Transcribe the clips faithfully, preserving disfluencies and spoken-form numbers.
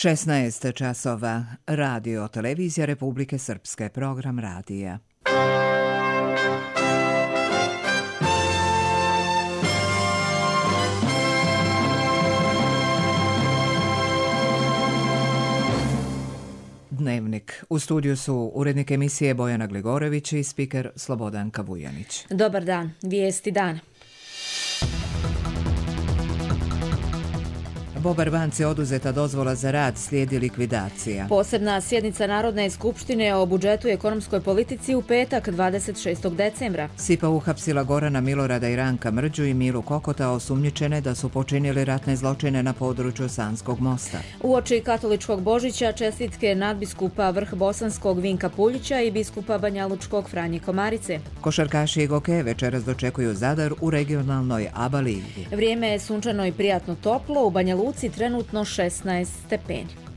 šesnaest časova. Radio televizija Republike Srpske, program radija. Dnevnik. U studiju su urednik emisije Bojana Gligorević i spiker Slobodanka Vujanić. Dobar dan. Vijesti dana. Bobar banci oduzeta dozvola za rad, slijedi likvidacija. Posebna sjednica Narodne skupštine o budžetu i ekonomskoj politici u petak dvadeset šestog decembra. SIPA uhapsila Gorana Milorada i Ranka Mrđu i Milu Kokota, osumnjičene da su počinili ratne zločine na području Sanskog mosta. Uoči katoličkog Božića čestitke nadbiskupa Vrh Bosanskog Vinka Puljića i biskupa Banjalučkog Franje Komarice. Košarkaši Goke večeras dočekuju Zadar u regionalnoj ABA ligi. Vrijeme je sunčano i prijatno toplo, u Banjaluci trenutno šesnaest stepeni.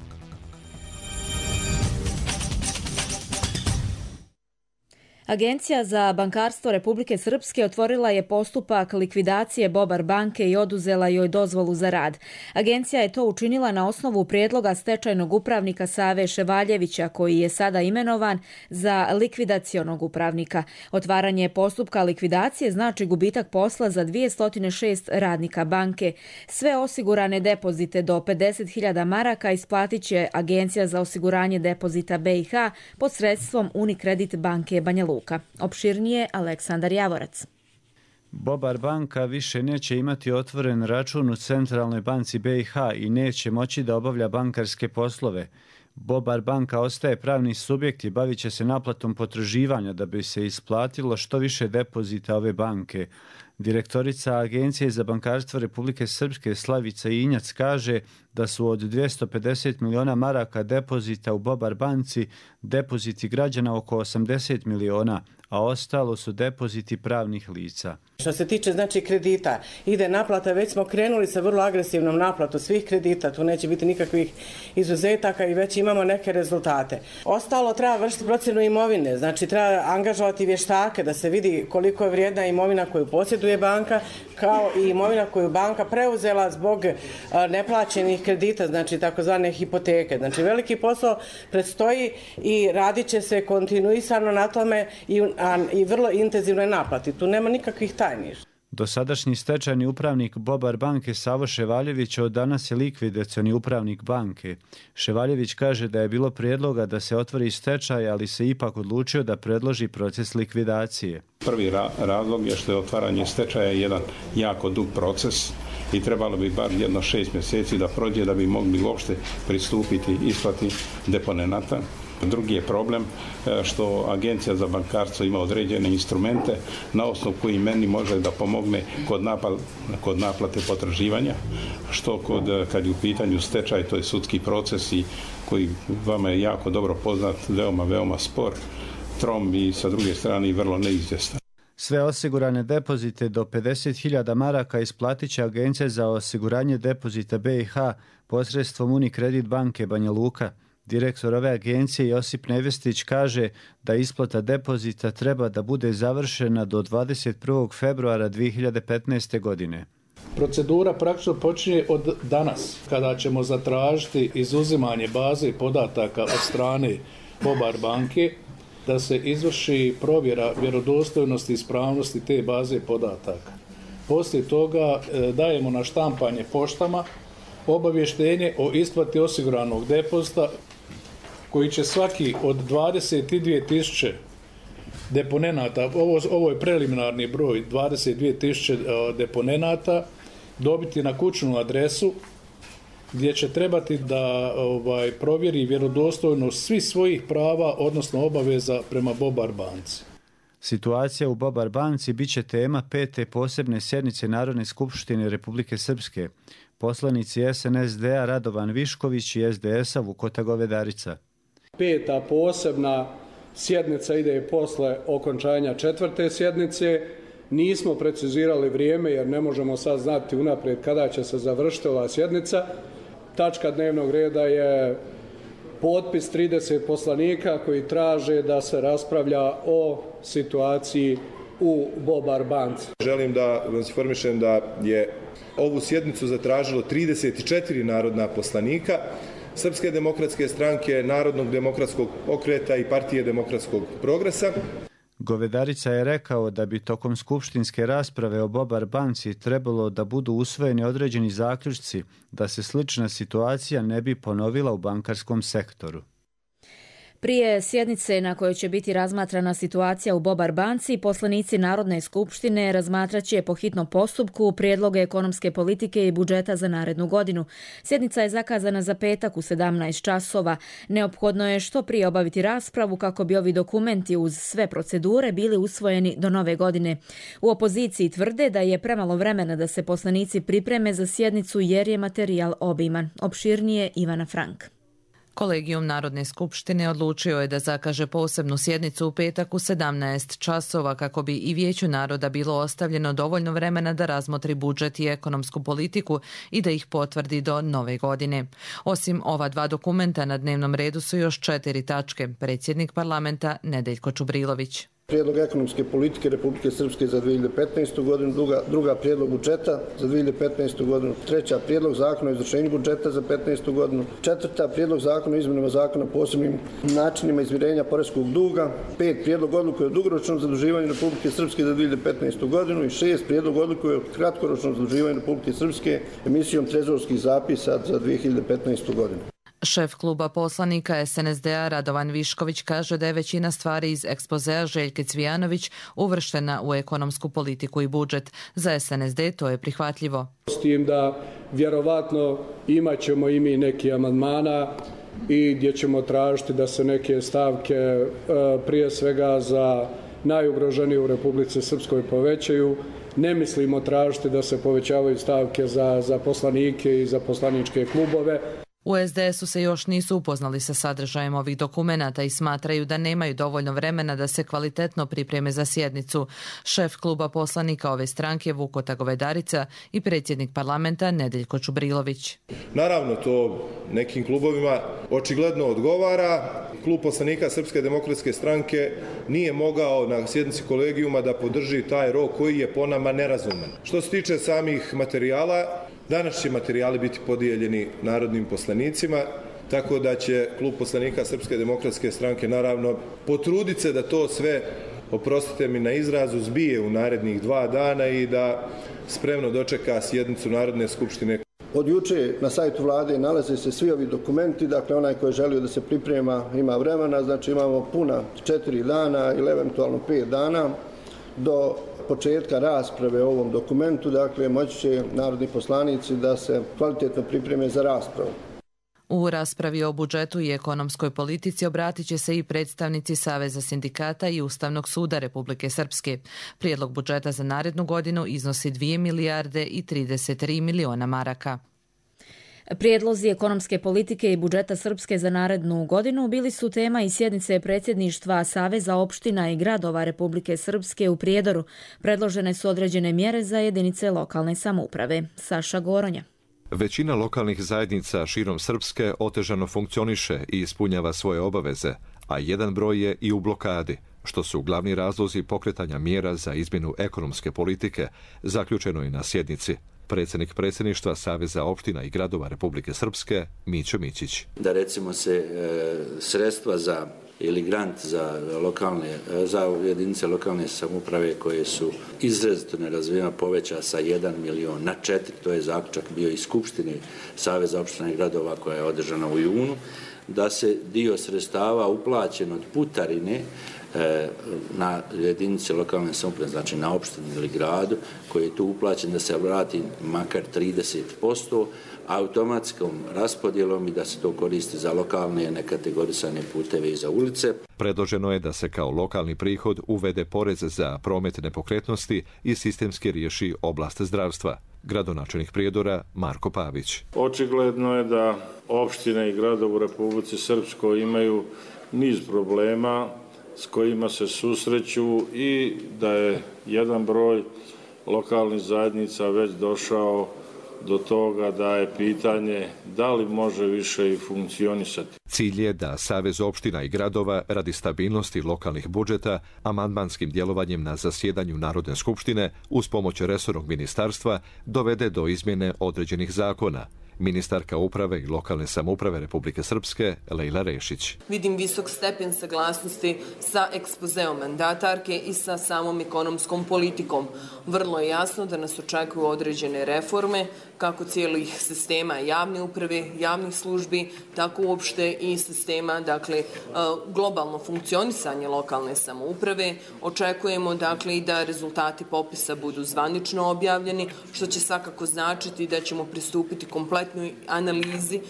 Agencija za bankarstvo Republike Srpske otvorila je postupak likvidacije Bobar banke i oduzela joj dozvolu za rad. Agencija je to učinila na osnovu prijedloga stečajnog upravnika Save Ševaljevića, koji je sada imenovan za likvidacionog upravnika. Otvaranje postupka likvidacije znači gubitak posla za dvjesto šest radnika banke. Sve osigurane depozite do pedeset hiljada maraka isplatit će Agencija za osiguranje depozita B i H posredstvom Unikredit banke Banja Luka. Opširnije Aleksandar Javorac. Bobar banka više neće imati otvoren račun u Centralnoj banci B i H i neće moći da obavlja bankarske poslove. Bobar banka ostaje pravni subjekt i bavit će se naplatom potraživanja da bi se isplatilo što više depozita ove banke. Direktorica Agencije za bankarstvo Republike Srpske Slavica Injac kaže da su od dvjesto pedeset miliona maraka depozita u Bobar banci depoziti građana oko osamdeset miliona, a ostalo su depoziti pravnih lica. Što se tiče znači kredita, ide naplata, već smo krenuli sa vrlo agresivnom naplatom svih kredita, tu neće biti nikakvih izuzetaka i već imamo neke rezultate. Ostalo treba vršiti procjenu imovine, znači treba angažovati vještake da se vidi koliko je vrijedna imovina koju posjeduje banka, kao i imovina koju banka preuzela zbog neplaćenih kredita, znači takozvane hipoteke. Znači veliki posao predstoji i radit će se kontinuisano na tome i, a, i vrlo intenzivnoj naplati. Tu nema nikakvih tajni. Dosadašnji stečajni upravnik Bobar banke Savo Ševaljević od danas je likvidacioni upravnik banke. Ševaljević kaže da je bilo prijedloga da se otvori stečaj, ali se ipak odlučio da predloži proces likvidacije. Prvi ra- razlog je što je otvaranje stečaja jedan jako dug proces i trebalo bi bar jedno šest mjeseci da prođe da bi mogli uopšte pristupiti isplati deponenata. Drugi je problem što Agencija za bankarstvo ima određene instrumente na osnovu koji meni može da pomogne kod, napal, kod naplate potraživanja, što kod, kad je u pitanju stečaj, to je sudski proces i koji vama je jako dobro poznat, veoma, veoma spor, trom i sa druge strane i vrlo neizvjestan. Sve osigurane depozite do pedeset hiljada maraka isplatit će Agencija za osiguranje depozita B i H posredstvom Unikredit banke Banja Luka. Direktor ove agencije Josip Nevestić kaže da isplata depozita treba da bude završena do dvadeset prvog februara dvije hiljade petnaeste. godine. Procedura praktično počinje od danas, kada ćemo zatražiti izuzimanje baze podataka od strane Bobar banke, da se izvrši provjera vjerodostojnosti i ispravnosti te baze podataka. Poslije toga dajemo na štampanje poštama obavještenje o isplati osiguranog depozita koji će svaki od dvadeset dvije tisuće deponenata, ovo, ovo je preliminarni broj, dvadeset dvije tisuće deponenata, dobiti na kućnu adresu gdje će trebati da ovaj, provjeri vjerodostojnost svih svojih prava, odnosno obaveza prema Bobar banci. Situacija u Bobar banci bit će tema pete posebne sjednice Narodne skupštine Republike Srpske. Poslanici S N S D-a Radovan Višković i S D S-a Vukota Govedarica. Peta posebna sjednica ide posle okončanja četvrte sjednice. Nismo precizirali vrijeme jer ne možemo sad znati unaprijed kada će se završiti ova sjednica. Tačka dnevnog reda je potpis trideset poslanika koji traže da se raspravlja o situaciji u Bobar banci. Želim da vas informišem da je ovu sjednicu zatražilo trideset četiri narodna poslanika. Srpske demokratske stranke, Narodnog demokratskog pokreta i Partije demokratskog progresa. Govedarica je rekao da bi tokom skupštinske rasprave o Bobar banci trebalo da budu usvojeni određeni zaključci da se slična situacija ne bi ponovila u bankarskom sektoru. Prije sjednice na kojoj će biti razmatrana situacija u Bobar banci, poslanici Narodne skupštine razmatraće po hitnom postupku prijedloge ekonomske politike i budžeta za narednu godinu. Sjednica je zakazana za petak u sedamnaest časova. Neophodno je što prije obaviti raspravu kako bi ovi dokumenti uz sve procedure bili usvojeni do nove godine. U opoziciji tvrde da je premalo vremena da se poslanici pripreme za sjednicu jer je materijal obiman. Opširnije Ivana Frank. Kolegijum Narodne skupštine odlučio je da zakaže posebnu sjednicu u petak u sedamnaest časova kako bi i Vijeću naroda bilo ostavljeno dovoljno vremena da razmotri budžet i ekonomsku politiku i da ih potvrdi do nove godine. Osim ova dva dokumenta na dnevnom redu su još četiri tačke. Predsjednik parlamenta Nedeljko Čubrilović. Prijedlog ekonomske politike Republike Srpske za dvije hiljade petnaestu. godinu, druga, druga prijedlog budžeta za dvije hiljade petnaestu. godinu, treća prijedlog zakona o izvršenju budžeta za petnaestu. godinu, četvrta prijedlog zakona o izmjenama zakona o posebnim načinima izmirenja poreskog duga, pet prijedlog odluke o dugoročnom zaduživanju Republike Srpske za dvije hiljade petnaestu. godinu i šest prijedlog odluke o kratkoročnom zaduživanju Republike Srpske emisijom trezorskih zapisa za dvije hiljade petnaestu. godinu. Šef kluba poslanika es en es de a Radovan Višković kaže da je većina stvari iz ekspozea Željke Cvijanović uvrštena u ekonomsku politiku i budžet. Za es en es de to je prihvatljivo. S tim da vjerovatno imat ćemo i mi neki amandmana i gdje ćemo tražiti da se neke stavke prije svega za najugroženije u Republici Srpskoj povećaju. Ne mislimo tražiti da se povećavaju stavke za, za poslanike i za poslaničke klubove. U es de esu se još nisu upoznali sa sadržajem ovih dokumenata i smatraju da nemaju dovoljno vremena da se kvalitetno pripreme za sjednicu. Šef kluba poslanika ove stranke Vukota Govedarica i predsjednik parlamenta Nedeljko Čubrilović. Naravno, to nekim klubovima očigledno odgovara. Klub poslanika Srpske demokratske stranke nije mogao na sjednici kolegijuma da podrži taj rok koji je po nama nerazuman. Što se tiče samih materijala, danas će materijali biti podijeljeni narodnim poslanicima, tako da će klub poslanika Srpske demokratske stranke naravno potruditi se da to sve, oprostite mi na izrazu, zbije u narednih dva dana i da spremno dočeka sjednicu Narodne skupštine. Od juče na sajtu vlade nalaze se svi ovi dokumenti, dakle onaj koji želio da se priprema ima vremena, znači imamo puna četiri dana ili eventualno pet dana do početka rasprave o ovom dokumentu, dakle moći će narodni poslanici da se kvalitetno pripreme za raspravu. U raspravi o budžetu i ekonomskoj politici obratit će se i predstavnici Saveza sindikata i Ustavnog suda Republike Srpske. Prijedlog budžeta za narednu godinu iznosi dvije milijarde i trideset tri miliona maraka. Prijedlozi ekonomske politike i budžeta Srpske za narednu godinu bili su tema i sjednice predsjedništva Saveza opština i gradova Republike Srpske u Prijedoru. Predložene su određene mjere za jedinice lokalne samouprave. Saša Goronja. Većina lokalnih zajednica širom Srpske otežano funkcioniše i ispunjava svoje obaveze, a jedan broj je i u blokadi, što su glavni razlozi pokretanja mjera za izmjenu ekonomske politike, zaključeno je na sjednici. Predsjednik predsjedništva Saveza opština i gradova Republike Srpske, Mićo Mićić. Da recimo se e, sredstva za ili grant za lokalne, za jedinice lokalne samouprave koje su izrazito nerazvijene poveća sa jedan milion na četiri, to je zaključak bio iz Skupštine Saveza opština i gradova koja je održana u junu, da se dio sredstava uplaćen od putarine na jedinice lokalne samouprave, znači na opštini ili gradu, koji je tu uplaćen da se vrati makar trideset posto automatskom raspodjelom i da se to koristi za lokalne nekategorisane puteve i za ulice. Predloženo je da se kao lokalni prihod uvede porez za promet nepokretnosti i sistemski riješi oblast zdravstva. Gradonačelnik Prijedora Marko Pavić. Očigledno je da opštine i gradovi u Republici Srpskoj imaju niz problema s kojima se susreću i da je jedan broj lokalnih zajednica već došao do toga da je pitanje da li može više i funkcionisati. Cilj je da Savez opština i gradova radi stabilnosti lokalnih budžeta amandmanskim djelovanjem na zasjedanju Narodne skupštine uz pomoć resornog ministarstva dovede do izmjene određenih zakona Ministarka uprave i lokalne samouprave Republike Srpske Lejla Rešić. Vidim visok stepen saglasnosti sa ekspozeom mandatarke i sa samom ekonomskom politikom. Vrlo je jasno da nas očekuju određene reforme, kako cijelih sistema javne uprave, javnih službi, tako uopšte i sistema, dakle, globalno funkcionisanje lokalne samouprave. Očekujemo, dakle, i da rezultati popisa budu zvanično objavljeni, što će svakako značiti da ćemo pristupiti kompletnoj analizi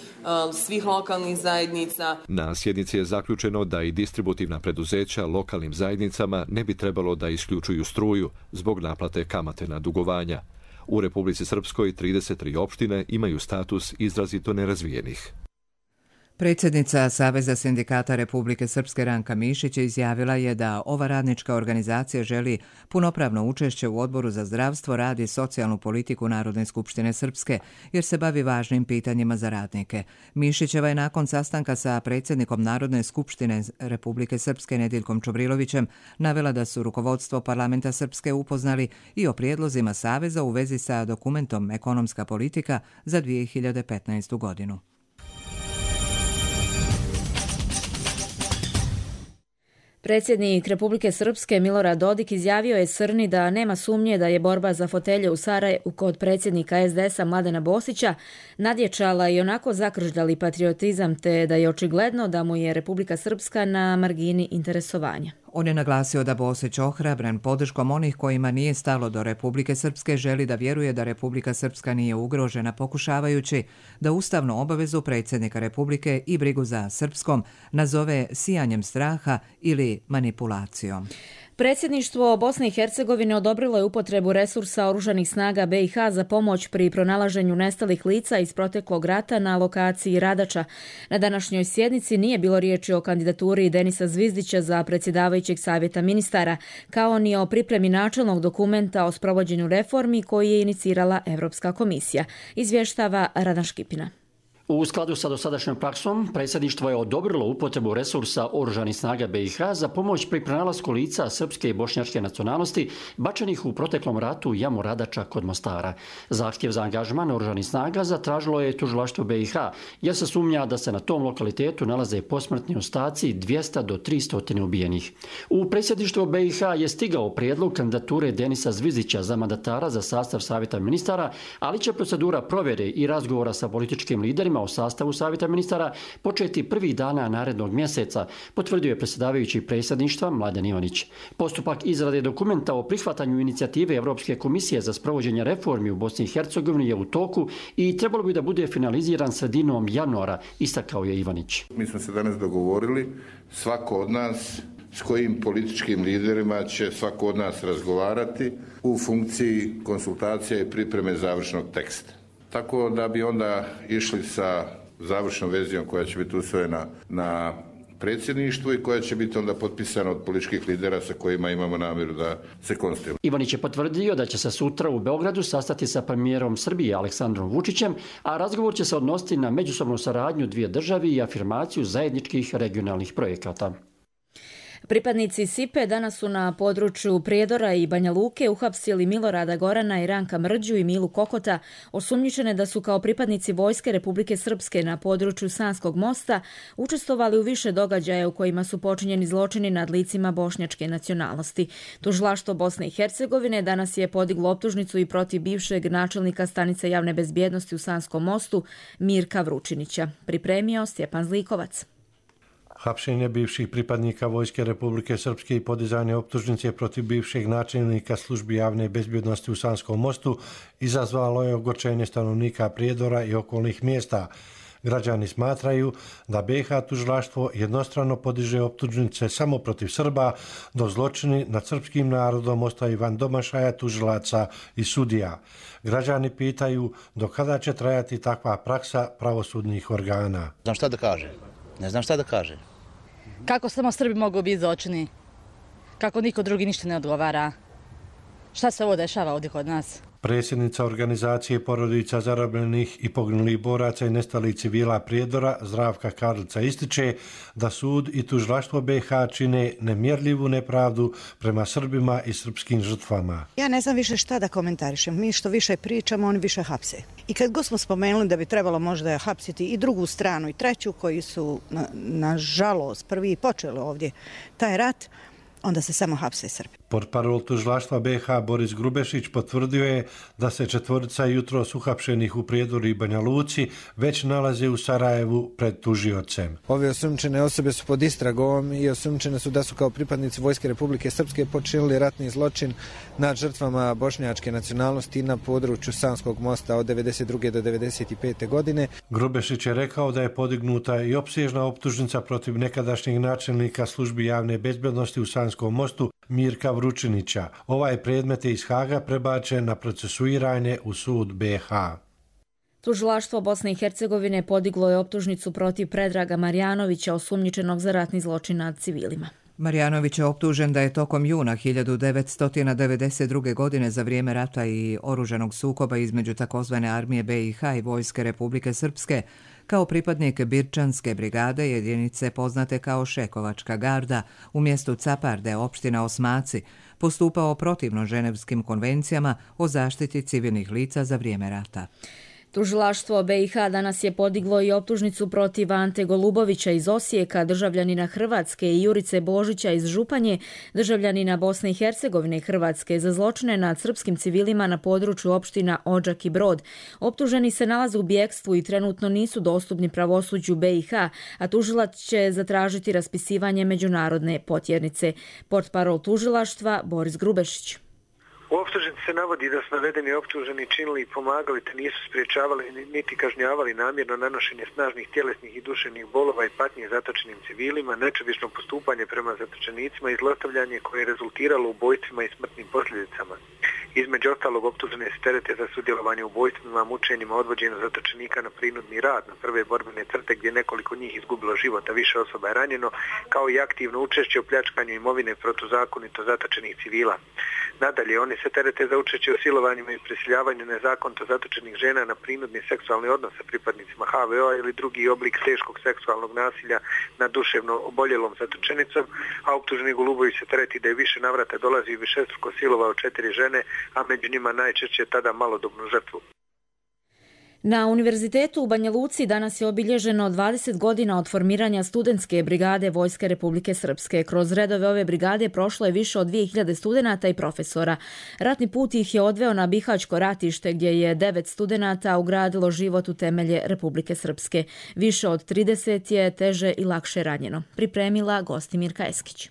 svih lokalnih zajednica. Na sjednici je zaključeno da i distributivna preduzeća lokalnim zajednicama ne bi trebalo da isključuju struju zbog naplate kamate na dugovanja. U Republici Srpskoj trideset tri opštine imaju status izrazito nerazvijenih. Predsjednica Saveza sindikata Republike Srpske Ranka Mišić izjavila je da ova radnička organizacija želi punopravno učešće u Odboru za zdravstvo, rad i socijalnu politiku Narodne skupštine Srpske, jer se bavi važnim pitanjima za radnike. Mišićeva je nakon sastanka sa predsjednikom Narodne skupštine Republike Srpske Nediljkom Čobrilovićem navela da su rukovodstvo parlamenta Srpske upoznali i o prijedlozima Saveza u vezi sa dokumentom Ekonomska politika za dvije hiljade petnaestu godinu. Predsjednik Republike Srpske Milorad Dodik izjavio je Srni da nema sumnje da je borba za fotelje u Sarajevu kod predsjednika es de esa Mladena Bosića nadječala i onako zakržljali patriotizam, te da je očigledno da mu je Republika Srpska na margini interesovanja. On je naglasio da Bosić ohrabren podrškom onih kojima nije stalo do Republike Srpske želi da vjeruje da Republika Srpska nije ugrožena, pokušavajući da ustavnu obavezu predsjednika Republike i brigu za srpskom nazove sijanjem straha ili manipulacijom. Predsjedništvo Bosne i Hercegovine odobrilo je upotrebu resursa oružanih snaga be i ha za pomoć pri pronalaženju nestalih lica iz proteklog rata na lokaciji Radača. Na današnjoj sjednici nije bilo riječi o kandidaturi Denisa Zvizdića za predsjedavajućeg savjeta ministara, kao ni o pripremi načelnog dokumenta o sprovođenju reformi koji je inicirala Evropska komisija, izvještava Radan Škipina. U skladu sa dosadašnjom praksom, predsjedništvo je odobrilo upotrebu resursa oružanih snaga be i ha za pomoć pri pronalasku lica srpske i bošnjačke nacionalnosti bačenih u proteklom ratu u jamu Radača kod Mostara. Zahtjev za angažman oružanih snaga zatražilo je tužilaštvo be i ha, jer se sumnja da se na tom lokalitetu nalaze posmrtni ostaci dvjesto do tristo ubijenih. U predsjedništvo be i ha je stigao prijedlog kandidature Denisa Zvizdića za mandatara za sastav savjeta ministara, ali će procedura provjere i razgovora sa političkim liderima o sastavu savjeta ministara početi prvih dana narednog mjeseca, potvrdio je predsjedavajući predsjedništva Mladen Ivanić. Postupak izrade dokumenta o prihvatanju inicijative Evropske komisije za sprovođenje reformi u Bosni i Hercegovini je u toku i trebalo bi da bude finaliziran sredinom januara, istakao je Ivanić. Mi smo se danas dogovorili, svako od nas s kojim političkim liderima će svako od nas razgovarati u funkciji konsultacija i pripreme završnog teksta. Tako da bi onda išli sa završnom verzijom koja će biti usvojena na predsjedništvu i koja će biti onda potpisana od političkih lidera sa kojima imamo namjeru da se konstituiramo. Ivanić je potvrdio da će se sutra u Beogradu sastati sa premijerom Srbije Aleksandrom Vučićem, a razgovor će se odnositi na međusobnu saradnju dvije države i afirmaciju zajedničkih regionalnih projekata. Pripadnici Sipe danas su na području Prijedora i Banja Luke uhapsili Milorada Gorana i Ranka Mrđu i Milu Kokota, osumnjičene da su kao pripadnici Vojske Republike Srpske na području Sanskog mosta učestvovali u više događaja u kojima su počinjeni zločini nad licima bošnjačke nacionalnosti. Tužilaštvo Bosne i Hercegovine danas je podiglo optužnicu i protiv bivšeg načelnika stanice javne bezbjednosti u Sanskom mostu Mirka Vručinića. Pripremio Stjepan Zlikovac. Hapšenje bivših pripadnika Vojske Republike Srpske i podizanje optužnice protiv bivšeg načelnika službi javne bezbjednosti u Sanskom mostu izazvalo je ogorčenje stanovnika Prijedora i okolnih mjesta. Građani smatraju da be i ha tužilaštvo jednostrano podiže optužnice samo protiv Srba, dok zločini nad srpskim narodom ostaju van domašaja tužilaca i sudija. Građani pitaju do kada će trajati takva praksa pravosudnih organa. Znam šta da kaže. Ne znam šta da kaže. Kako samo Srbi mogu biti zločini? Kako niko drugi ništa ne odgovara? Šta se ovo dešava ovdje kod nas? Predsjednica organizacije porodica zarobljenih i poginulih boraca i nestalih civila Prijedora, Zdravka Karlica, ističe da sud i tužilaštvo B i H čine nemjerljivu nepravdu prema Srbima i srpskim žrtvama. Ja ne znam više šta da komentarišem. Mi što više pričamo, oni više hapse. I kad god smo spomenuli da bi trebalo možda hapsiti i drugu stranu i treću koji su, na, nažalost, prvi počeli ovdje taj rat, onda se samo hapse Srbi. Portparol tužilaštva B i H Boris Grubešić potvrdio je da se četvorica jutros uhapšenih u Prijedoru i Banja Luci već nalaze u Sarajevu pred tužiocem. Ove osumnjičene osobe su pod istragom i osumnjičene su da su kao pripadnici Vojske Republike Srpske počinili ratni zločin nad žrtvama bošnjačke nacionalnosti na području Sanskog mosta od devedeset druge do devedeset pete godine. Grubešić je rekao da je podignuta i opsežna optužnica protiv nekadašnjeg načelnika službi javne bezbednosti u Sanskom mostu Mirka Vručinića. Ovaj predmet je iz Haga prebačen na procesuiranje u sud B i H. Tužilaštvo Bosne i Hercegovine podiglo je optužnicu protiv Predraga Marjanovića, osumnjičenog za ratni zločin nad civilima. Marjanović je optužen da je tokom juna hiljadu devetsto devedeset druge. godine za vrijeme rata i oružanog sukoba između takozvane armije B i H i Vojske Republike Srpske kao pripadnik Birčanske brigade, jedinice poznate kao Šekovačka garda, u mjestu Caparde, opština Osmaci, postupao protivno ženevskim konvencijama o zaštiti civilnih lica za vrijeme rata. Tužilaštvo B i H danas je podiglo i optužnicu protiv Ante Golubovića iz Osijeka, državljanina Hrvatske, i Jurice Božića iz Županje, državljanina Bosne i Hercegovine i Hrvatske, za zločine nad srpskim civilima na području opština Odžak i Brod. Optuženi se nalaze u bjekstvu i trenutno nisu dostupni pravosuđu B i H, a tužilac će zatražiti raspisivanje međunarodne potjernice. Portparol tužilaštva Boris Grubešić. U optužnici se navodi da su navedeni optuženi činili i pomagali te nisu spriječavali niti kažnjavali namjerno nanošenje snažnih tjelesnih i duševnih bolova i patnje zatočenim civilima, nečovično postupanje prema zatočenicima i zlostavljanje koje je rezultiralo ubojstvima i smrtnim posljedicama. Između ostalog optužene se terete za sudjelovanje u ubojstvima, mučenjima, odvođenju zatočenika na prinudni rad na prve borbene crte gdje nekoliko njih izgubilo život, a više osoba je ranjeno, kao i aktivno učešće u pljačkanju imovine protuzakonito zatočenih civila. Nadalje, oni se terete za učešće u silovanjima i prisiljavanju nezakonito zatočenih žena na prinudni seksualni odnos sa pripadnicima H V O-a ili drugi oblik teškog seksualnog nasilja nad duševno oboljelom zatočenicom, a optuženi Golubović se tereti da je više navrata dolazi i višestruko silovao četiri žene, a među njima najčešće tada malodobnu žrtvu. Na Univerzitetu u Banja Luci danas je obilježeno dvadeset godina od formiranja studentske brigade Vojske Republike Srpske. Kroz redove ove brigade prošlo je više od dvije hiljade studenata i profesora. Ratni put ih je odveo na Bihaćko ratište gdje je devet studenata ugradilo život u temelje Republike Srpske. Više od trideset je teže i lakše ranjeno. Pripremila Gostimirka Eskić.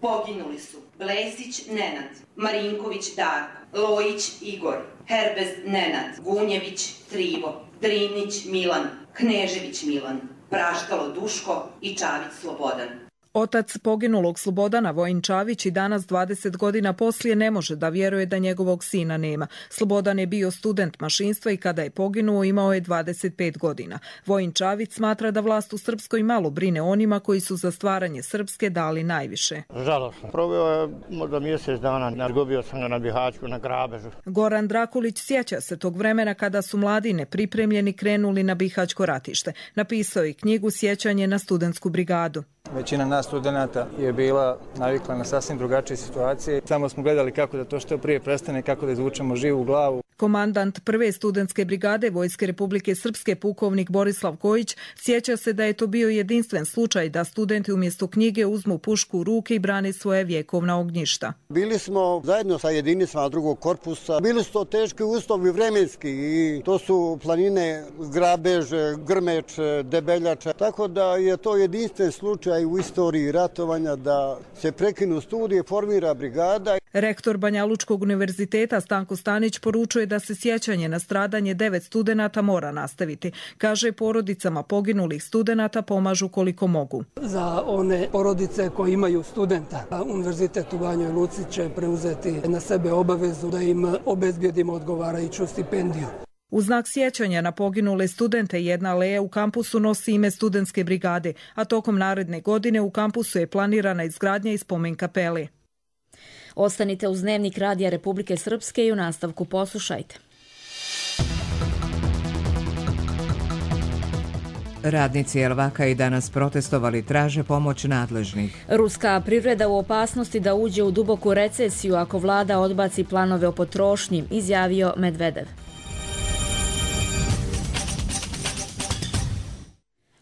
Poginuli su Blesić Nenad, Marinković Darko, Lojić Igor, Herbez Nenad, Gunjević Trivo, Drinić Milan, Knežević Milan, Praštalo Duško i Čavić Slobodan. Otac poginulog Slobodana, Vojin Čavić, i danas dvadeset godina poslije ne može da vjeruje da njegovog sina nema. Slobodan je bio student mašinstva i kada je poginuo imao je dvadeset pet godina. Vojin Čavić smatra da vlast u Srpskoj malo brine onima koji su za stvaranje Srpske dali najviše. Žalosno. Proveo je možda mjesec dana, nargubio sam ga na Bihaćku, na grabežu. Goran Drakulić sjeća se tog vremena kada su mladi nepripremljeni krenuli na Bihaćko ratište. Napisao je knjigu Sjećanje na studentsku brigadu. Većina nas studenata je bila navikla na sasvim drugačije situacije. Samo smo gledali kako da to što prije prestane, kako da izvučemo živu glavu. Komandant prve studentske brigade Vojske Republike Srpske, pukovnik Borislav Kojić, sjeća se da je to bio jedinstven slučaj da studenti umjesto knjige uzmu pušku u ruke i brane svoje vjekovna ognjišta. Bili smo zajedno sa jedinicama drugog korpusa. Bili su to teški uslovi vremenski i to su planine Grabež, Grmeč, Debeljača. Tako da je to jedinstven slučaj u istoriji ratovanja da se prekinu studije, formira brigada. Rektor Banja Lučkog univerziteta Stanko Stanić poručuje da se sjećanje na stradanje devet studenata mora nastaviti. Kaže, porodicama poginulih studenata pomažu koliko mogu. Za one porodice koji imaju studenta, Univerzitet u Banjoj Luci će preuzeti na sebe obavezu da im obezbjedimo odgovarajuću stipendiju. U znak sjećanja na poginule studente jedna aleja u kampusu nosi ime studentske brigade, a tokom naredne godine u kampusu je planirana izgradnja i spomen kapele. Ostanite uz Dnevnik Radija Republike Srpske i u nastavku poslušajte. Radnici Elvaka i danas protestovali, traže pomoć nadležnih. Ruska privreda u opasnosti da uđe u duboku recesiju ako vlada odbaci planove o potrošnji, izjavio Medvedev.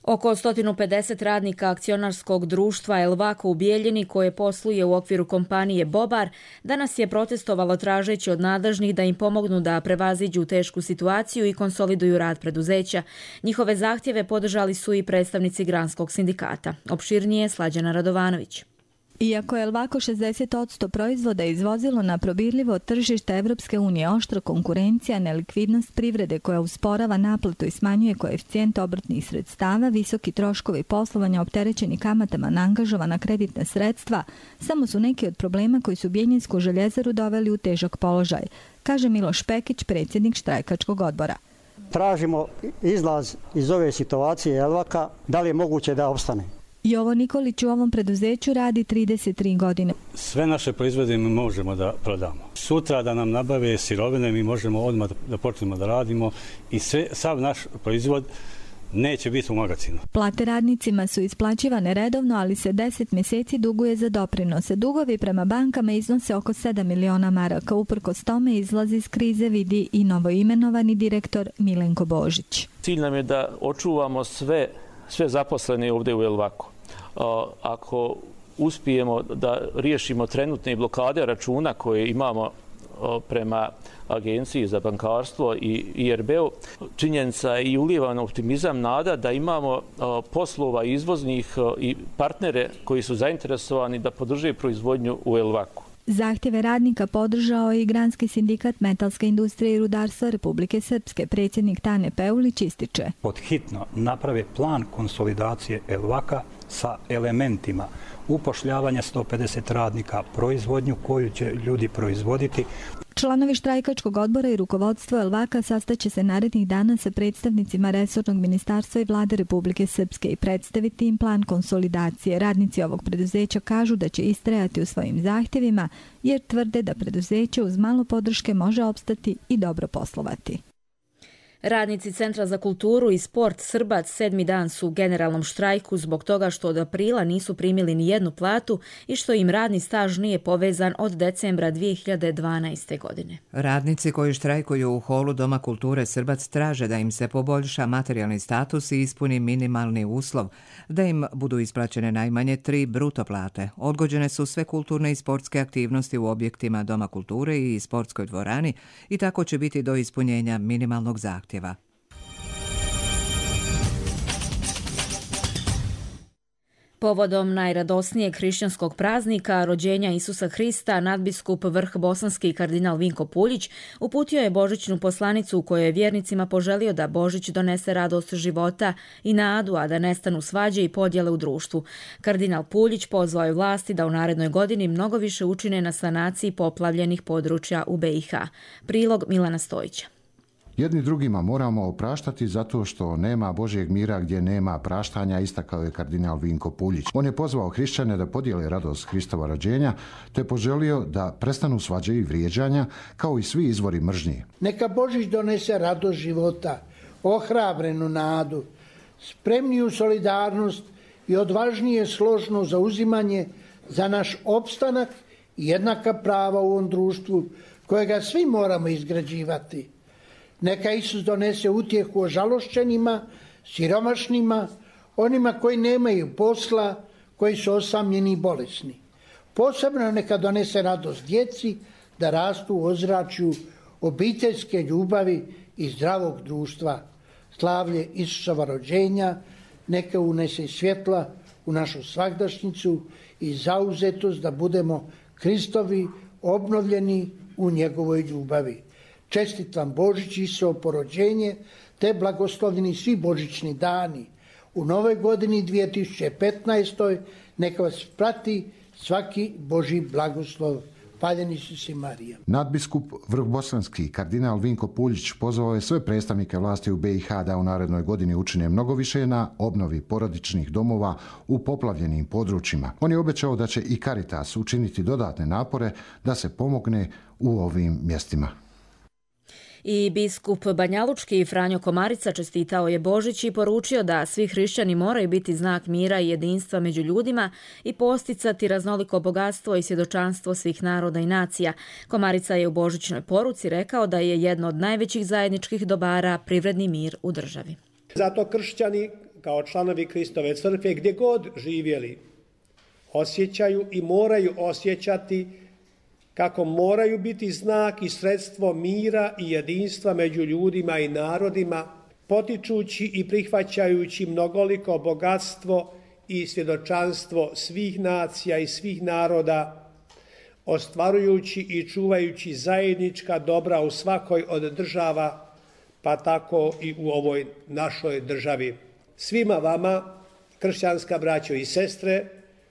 Oko sto pedeset radnika akcionarskog društva Elvako u Bijeljini, koje posluje u okviru kompanije Bobar, danas je protestovalo tražeći od nadležnih da im pomognu da prevaziđu tešku situaciju i konsoliduju rad preduzeća. Njihove zahtjeve podržali su i predstavnici Granskog sindikata. Opširnije Slađana Radovanović. Iako je Elvako šezdeset posto proizvoda izvozilo na probirljivo tržište Evropske unije, oštra konkurencija, nelikvidnost privrede koja usporava naplatu i smanjuje koeficijent obrtnih sredstava, visoki troškovi poslovanja opterećeni kamatama na angažovana kreditna sredstva, samo su neki od problema koji su Bijeljinsku željezaru doveli u težak položaj, kaže Miloš Pekić, predsjednik štrajkačkog odbora. Tražimo izlaz iz ove situacije Elvaka, da li je moguće da opstane. Jovo Nikolić u ovom preduzeću radi trideset tri godine. Sve naše proizvode mi možemo da prodamo. Sutra da nam nabave sirovine mi možemo odmah da počnemo da radimo i sve, sav naš proizvod neće biti u magazinu. Plate radnicima su isplaćivane redovno, ali se deset mjeseci duguje za doprinose. Dugovi prema bankama iznose oko sedam miliona maraka. Uprkos tome izlazi iz krize, vidi i novoimenovani direktor Milenko Božić. Cilj nam je da očuvamo sve sve zaposlene ovdje u Elvaku. Ako uspijemo da riješimo trenutne blokade računa koje imamo prema Agenciji za bankarstvo i I R B-u, činjenica je i ulijevan optimizam, nada da imamo poslova izvoznih i partnere koji su zainteresovani da podrže proizvodnju u Elvaku. Zahtjeve radnika podržao je i Granski sindikat metalske industrije i rudarstva Republike Srpske. Predsjednik Tane Peulić ističe: Podhitno naprave plan konsolidacije Elvaka sa elementima upošljavanja sto pedeset radnika, proizvodnju koju će ljudi proizvoditi. Članovi štrajkačkog odbora i rukovodstvo Elvaka sastaće se narednih dana sa predstavnicima resornog ministarstva i vlade Republike Srpske i predstaviti im plan konsolidacije. Radnici ovog preduzeća kažu da će istrajati u svojim zahtjevima jer tvrde da preduzeće uz malo podrške može opstati i dobro poslovati. Radnici Centra za kulturu i sport Srbac sedmi dan su u generalnom štrajku zbog toga što od aprila nisu primili ni jednu platu i što im radni staž nije povezan od decembra dvije hiljade dvanaeste. godine. Radnici koji štrajkuju u holu Doma kulture Srbac traže da im se poboljša materijalni status i ispuni minimalni uslov, da im budu isplaćene najmanje tri bruto plate. Odgođene su sve kulturne i sportske aktivnosti u objektima Doma kulture i sportskoj dvorani i tako će biti do ispunjenja minimalnog zahtjeva. Povodom najradosnijeg hrišćanskog praznika, rođenja Isusa Hrista, nadbiskup Vrh bosanski kardinal Vinko Puljić uputio je božićnu poslanicu u kojoj je vjernicima poželio da Božić donese radost života i nadu, a da nestanu svađe i podjele u društvu. Kardinal Puljić pozvao je vlasti da u narednoj godini mnogo više učine na sanaciji poplavljenih područja u B i H. Prilog Milana Stojića. Jedni drugima moramo opraštati zato što nema Božjeg mira gdje nema praštanja, istakao je kardinal Vinko Puljić. On je pozvao hrišćane da podijele radost Hristova rođenja, te poželio da prestanu svađe i vrijeđanja, kao i svi izvori mržnje. Neka Božić donese radost života, ohrabrenu nadu, spremniju solidarnost i odvažnije složno zauzimanje za naš opstanak i jednaka prava u ovom društvu, kojega svi moramo izgrađivati. Neka Isus donese utjehu ožalošćenima, siromašnima, onima koji nemaju posla, koji su osamljeni i bolesni. Posebno neka donese radost djeci da rastu u ozračju obiteljske ljubavi i zdravog društva. Slavlje Isusova rođenja neka unese svjetla u našu svagdašnicu i zauzetost da budemo Kristovi obnovljeni u njegovoj ljubavi. Čestit vam Božić i Isusovo porođenje, te blagoslovljeni svi božićni dani. U novoj godini dvije tisuće petnaestoj neka vas prati svaki Božji blagoslov. Paljenici si Marija. Nadbiskup vrhbosanski kardinal Vinko Puljić pozvao je sve predstavnike vlasti u B i H da u narednoj godini učine mnogo više na obnovi porodičnih domova u poplavljenim područjima. On je obećao da će i Caritas učiniti dodatne napore da se pomogne u ovim mjestima. I biskup Banjalučki Franjo Komarica čestitao je Božić i poručio da svi hrišćani moraju biti znak mira i jedinstva među ljudima i posticati raznoliko bogatstvo i svjedočanstvo svih naroda i nacija. Komarica je u božićnoj poruci rekao da je jedno od najvećih zajedničkih dobara privredni mir u državi. Zato kršćani kao članovi Kristove crkve gdje god živjeli osjećaju i moraju osjećati kako moraju biti znak i sredstvo mira i jedinstva među ljudima i narodima, potičući i prihvaćajući mnogoliko bogatstvo i svjedočanstvo svih nacija i svih naroda, ostvarujući i čuvajući zajednička dobra u svakoj od država, pa tako i u ovoj našoj državi. Svima vama, kršćanska braćo i sestre,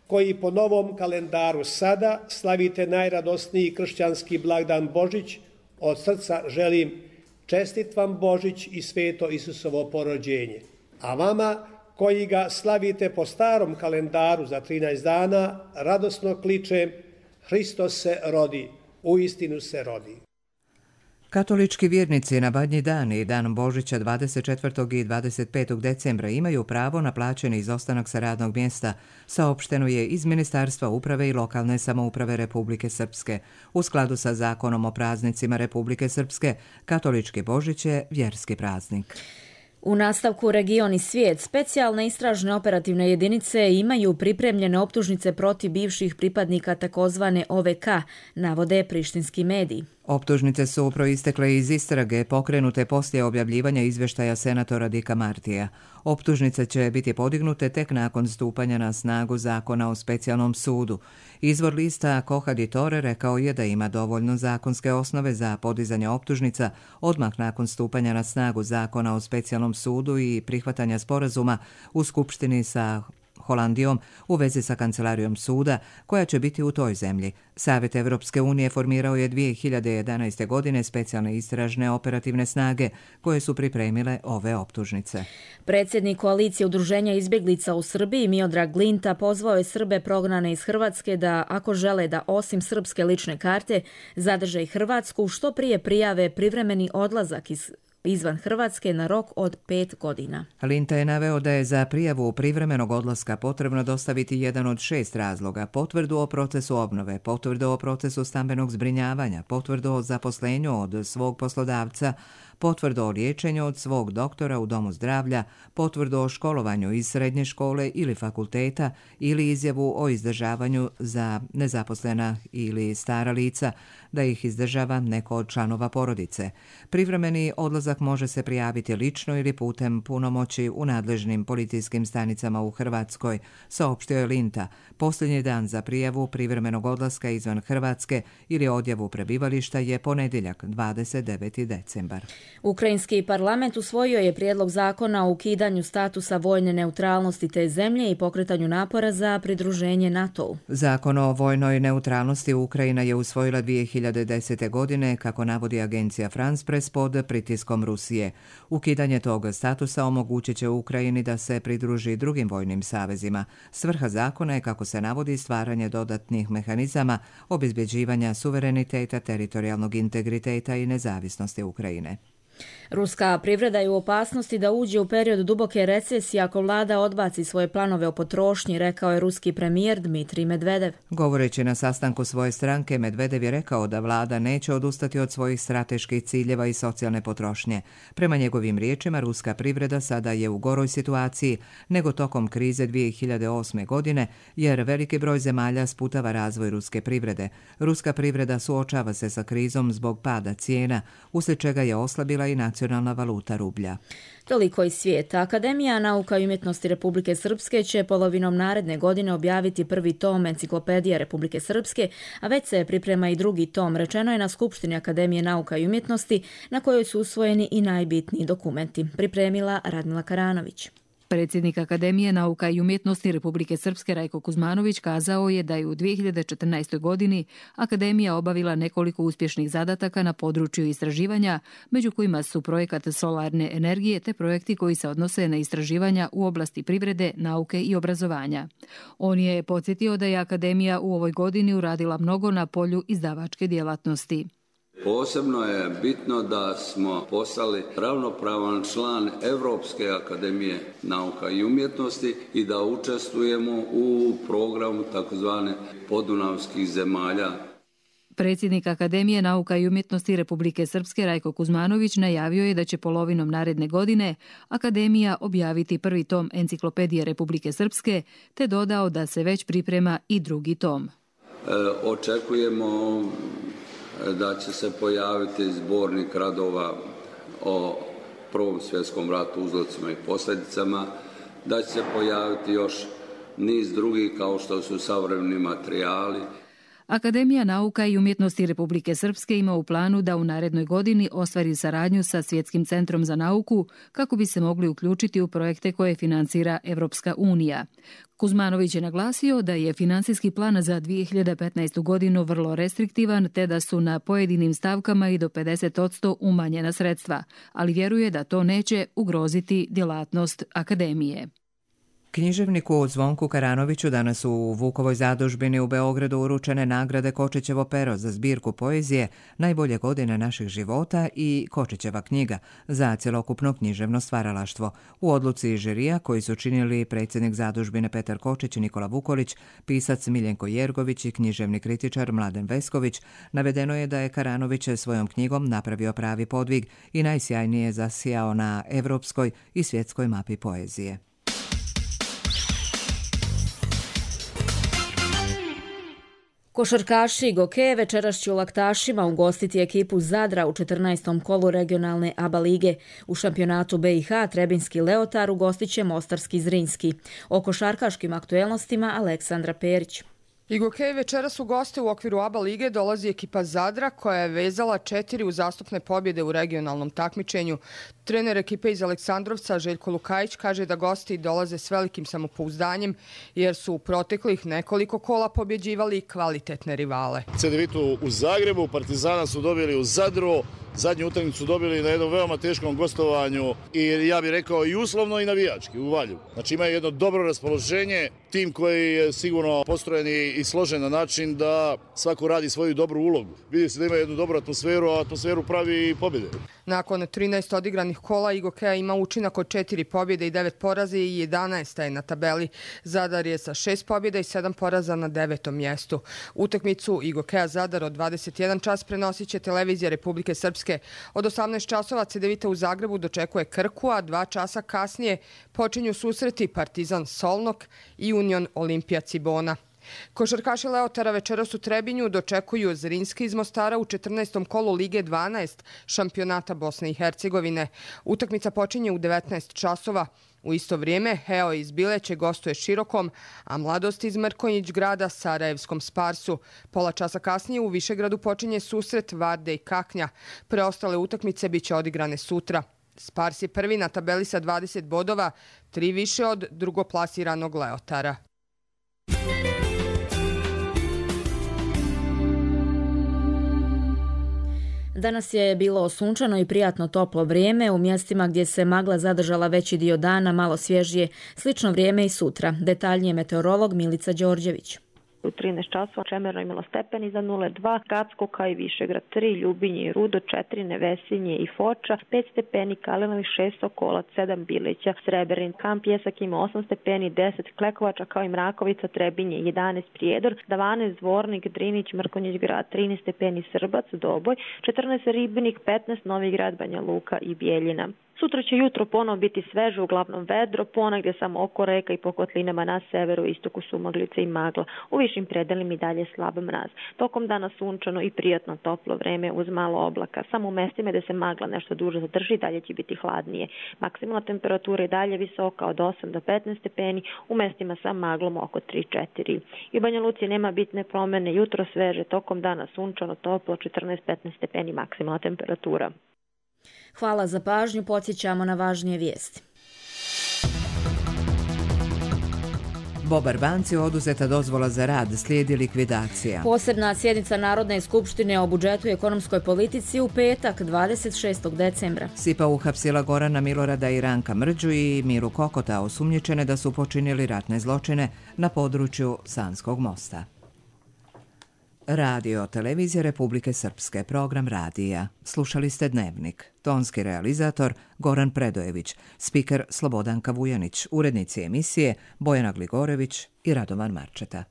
koji po novom kalendaru sada slavite najradosniji kršćanski blagdan Božić, od srca želim čestit vam Božić i sveto Isusovo porođenje. A vama koji ga slavite po starom kalendaru za trinaest dana, radosno kličem Hristos se rodi, uistinu se rodi. Katolički vjernici na Badnji dan i dan Božića dvadeset četvrtog i dvadeset petog decembra imaju pravo na plaćeni izostanak sa radnog mjesta, saopšteno je iz Ministarstva uprave i lokalne samouprave Republike Srpske. U skladu sa zakonom o praznicima Republike Srpske, katolički Božić je vjerski praznik. U nastavku Region i svijet, specijalne istražne operativne jedinice imaju pripremljene optužnice protiv bivših pripadnika takozvane O V K, navode prištinski mediji. Optužnice su proistekle iz istrage pokrenute poslije objavljivanja izvještaja senatora Dika Martija. Optužnice će biti podignute tek nakon stupanja na snagu zakona o specijalnom sudu. Izvor lista Kohaditore rekao je da ima dovoljno zakonske osnove za podizanje optužnica odmah nakon stupanja na snagu zakona o specijalnom sudu i prihvatanja sporazuma u Skupštini sa Holandijom u vezi sa kancelarijom suda koja će biti u toj zemlji. Savjet Evropske unije formirao je dvije hiljade jedanaeste. godine specijalne istražne operativne snage koje su pripremile ove optužnice. Predsjednik koalicije udruženja izbjeglica u Srbiji Miodrag Glinta pozvao je Srbe prognane iz Hrvatske da ako žele da osim srpske lične karte zadrže i Hrvatsku, što prije prijave privremeni odlazak iz izvan Hrvatske na rok od pet godina. Linta je naveo da je za prijavu privremenog odlaska potrebno dostaviti jedan od šest razloga: potvrdu o procesu obnove, potvrdu o procesu stambenog zbrinjavanja, potvrdu o zaposlenju od svog poslodavca, potvrdu o liječenju od svog doktora u domu zdravlja, potvrdu o školovanju iz srednje škole ili fakulteta ili izjavu o izdržavanju za nezaposlena ili stara lica, da ih izdržava neko od članova porodice. Privremeni odlazak može se prijaviti lično ili putem punomoći u nadležnim policijskim stanicama u Hrvatskoj, saopštio je Linta. Posljednji dan za prijavu privremenog odlaska izvan Hrvatske ili odjavu prebivališta je ponedjeljak, dvadeset deveti decembar. Ukrajinski parlament usvojio je prijedlog zakona o ukidanju statusa vojne neutralnosti te zemlje i pokretanju napora za pridruženje NATO-u. Zakon o vojnoj neutralnosti Ukrajina je usvojila dvije hiljade desete. godine, kako navodi agencija France Press, pod pritiskom Rusije. Ukidanje tog statusa omogućit će Ukrajini da se pridruži drugim vojnim savezima. Svrha zakona je, kako se navodi, stvaranje dodatnih mehanizama obezbeđivanja suvereniteta, teritorijalnog integriteta i nezavisnosti Ukrajine. Ruska privreda je u opasnosti da uđe u period duboke recesije ako vlada odbaci svoje planove o potrošnji, rekao je ruski premijer Dmitrij Medvedev. Govoreći na sastanku svoje stranke, Medvedev je rekao da vlada neće odustati od svojih strateških ciljeva i socijalne potrošnje. Prema njegovim riječima, ruska privreda sada je u goroj situaciji nego tokom krize dvije hiljade osme. godine, jer veliki broj zemalja sputava razvoj ruske privrede. Ruska privreda suočava se sa krizom zbog pada cijena, uslijed čega je oslabila i nacionalna valuta rublja. Toliko iz svijeta. Akademija nauka i umjetnosti Republike Srpske će polovinom naredne godine objaviti prvi tom enciklopedije Republike Srpske, a već se priprema i drugi tom, rečeno je na Skupštini Akademije nauka i umjetnosti, na kojoj su usvojeni i najbitniji dokumenti. Pripremila Radmila Karanović. Predsjednik Akademije nauka i umjetnosti Republike Srpske Rajko Kuzmanović kazao je da je u dvije hiljade četrnaestoj. godini Akademija obavila nekoliko uspješnih zadataka na području istraživanja, među kojima su projekat solarne energije te projekti koji se odnose na istraživanja u oblasti privrede, nauke i obrazovanja. On je podsjetio da je Akademija u ovoj godini uradila mnogo na polju izdavačke djelatnosti. Posebno je bitno da smo postali ravnopravan član Europske akademije nauka i umjetnosti i da učestvujemo u programu takozvane podunavskih zemalja. Predsjednik Akademije nauka i umjetnosti Republike Srpske Rajko Kuzmanović najavio je da će polovinom naredne godine Akademija objaviti prvi tom enciklopedije Republike Srpske, te dodao da se već priprema i drugi tom. E, očekujemo da će se pojaviti zbornik radova o Prvom svjetskom ratu, uzrocima i posljedicama, da će se pojaviti još niz drugih kao što su savremeni materijali. Akademija nauka i umjetnosti Republike Srpske ima u planu da u narednoj godini ostvari saradnju sa Svjetskim centrom za nauku kako bi se mogli uključiti u projekte koje financira Evropska unija. Kuzmanović je naglasio da je financijski plan za dvije hiljade petnaestu. godinu vrlo restriktivan te da su na pojedinim stavkama i do pedeset posto umanjena sredstva, ali vjeruje da to neće ugroziti djelatnost Akademije. Književniku Zvonku Karanoviću danas u Vukovoj zadužbini u Beogradu uručene nagrade Kočićevo pero za zbirku poezije Najbolje godine naših života i Kočićeva knjiga za cjelokupno književno stvaralaštvo. U odluci žirija koji su činili predsjednik zadužbine Petar Kočić i Nikola Vukolić, pisac Miljenko Jergović i književni kritičar Mladen Vesković, navedeno je da je Karanović svojom knjigom napravio pravi podvig i najsjajnije zasijao na evropskoj i svjetskoj mapi poezije. Košarkaši Goke večeras će u Laktašima ugostiti ekipu Zadra u četrnaestom kolu regionalne A B A lige. U šampionatu B i H Trebinski Leotar ugostit će Mostarski Zrinski. O košarkaškim aktuelnostima Aleksandra Perić. I Gokej večeras u goste u okviru A B A lige dolazi ekipa Zadra koja je vezala četiri uzastopne pobjede u regionalnom takmičenju. Trener ekipe iz Aleksandrovca Željko Lukajić kaže da gosti dolaze s velikim samopouzdanjem jer su u proteklih nekoliko kola pobjeđivali kvalitetne rivale. Cedevitu u Zagrebu, Partizana su dobili u Zadru, zadnju utakmicu dobili na jednom veoma teškom gostovanju i ja bih rekao i uslovno i navijački u Valju. Znači imaju jedno dobro raspoloženje, tim koji je sigurno postrojen i složen na način da svako radi svoju dobru ulogu. Vidi se da ima jednu dobru atmosferu, a atmosferu pravi i pobjede. Nakon trinaest odigranih kola I Gokeja ima učinak od četiri pobjede i devet poraza i jedanaesta je na tabeli. Zadar je sa šest pobjeda i sedam poraza na devetom mjestu. Utakmicu I Gokeja Zadar od dvadeset jedan čas prenosit će televizija Republike Srpske. Od osamnaest časova Cedevita u Zagrebu dočekuje Krku, a dva časa kasnije počinju susreti Partizan Solnok i Union Olimpija Cibona. Košarkaši Leotara večeras u Trebinju dočekuju Zrinski iz Mostara u četrnaestom kolu Lige dvanaest šampionata Bosne i Hercegovine. Utakmica počinje u devetnaest časova. U isto vrijeme Heo iz Bileće gostuje Širokom, a Mladost iz Mrkonjić grada Sarajevskom Sparsu. Pola časa kasnije u Višegradu počinje susret Varde i Kaknja. Preostale utakmice biće odigrane sutra. Spars je prvi na tabeli sa dvadeset bodova, tri više od drugoplasiranog Leotara. Danas je bilo sunčano i prijatno toplo vrijeme, u mjestima gdje se magla zadržala veći dio dana, malo svježije, slično vrijeme i sutra. Detaljnije meteorolog Milica Đorđević. U trinaest časova Čemerno imalo stepeni za nula dva, Gracko kao i Višegrad tri, Ljubinje i Rudo četiri, Nevesinje i Foča, pet stepeni, Kalinović šest, Sokolac sedam, Bileća, Sreberin, Kamp Pjesak ima osam stepeni, deset, Klekovača kao i Mrakovica, Trebinje jedanaest, Prijedor, dvanaest, Dvornik, Drinić, Mrkonjić grad, trinaest stepeni, Srbac, Doboj, četrnaest, Ribnik, petnaest, Novi Grad, Banja Luka i Bijeljina. Sutra će jutro ponovo biti sveže, uglavnom vedro, ponegdje samo oko reka i po kotlinama na severu, istoku su maglice i magla. U višim predelima i dalje slab mraz. Tokom dana sunčano i prijatno toplo vreme uz malo oblaka. Samo u mestima gdje se magla nešto duže zadrži, dalje će biti hladnije. Maksimalna temperatura je dalje visoka od osam do petnaest stepeni, u mestima sa maglom oko tri do četiri. I u Banja Luci nema bitne promjene, jutro sveže, tokom dana sunčano, toplo, četrnaest do petnaest stepeni maksimalna temperatura. Hvala za pažnju, podsjećamo na važnije vijesti. Bobar banci oduzeta dozvola za rad, slijedi likvidacija. Posebna sjednica Narodne skupštine o budžetu i ekonomskoj politici u petak dvadeset šestog decembra. Sipa uhapsila Gorana Milorada i Ranka Mrđu i Miru Kokota, osumnjičene da su počinili ratne zločine na području Sanskog mosta. Radio Televizija Republike Srpske, program radija. Slušali ste Dnevnik. Tonski realizator Goran Predojević, spiker Slobodanka Vujanić, urednici emisije Bojana Gligorević i Radovan Marčeta.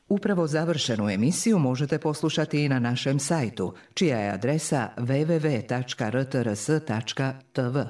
Upravo završenu emisiju možete poslušati i na našem sajtu, čija je adresa w w w tačka r t r s tačka t v.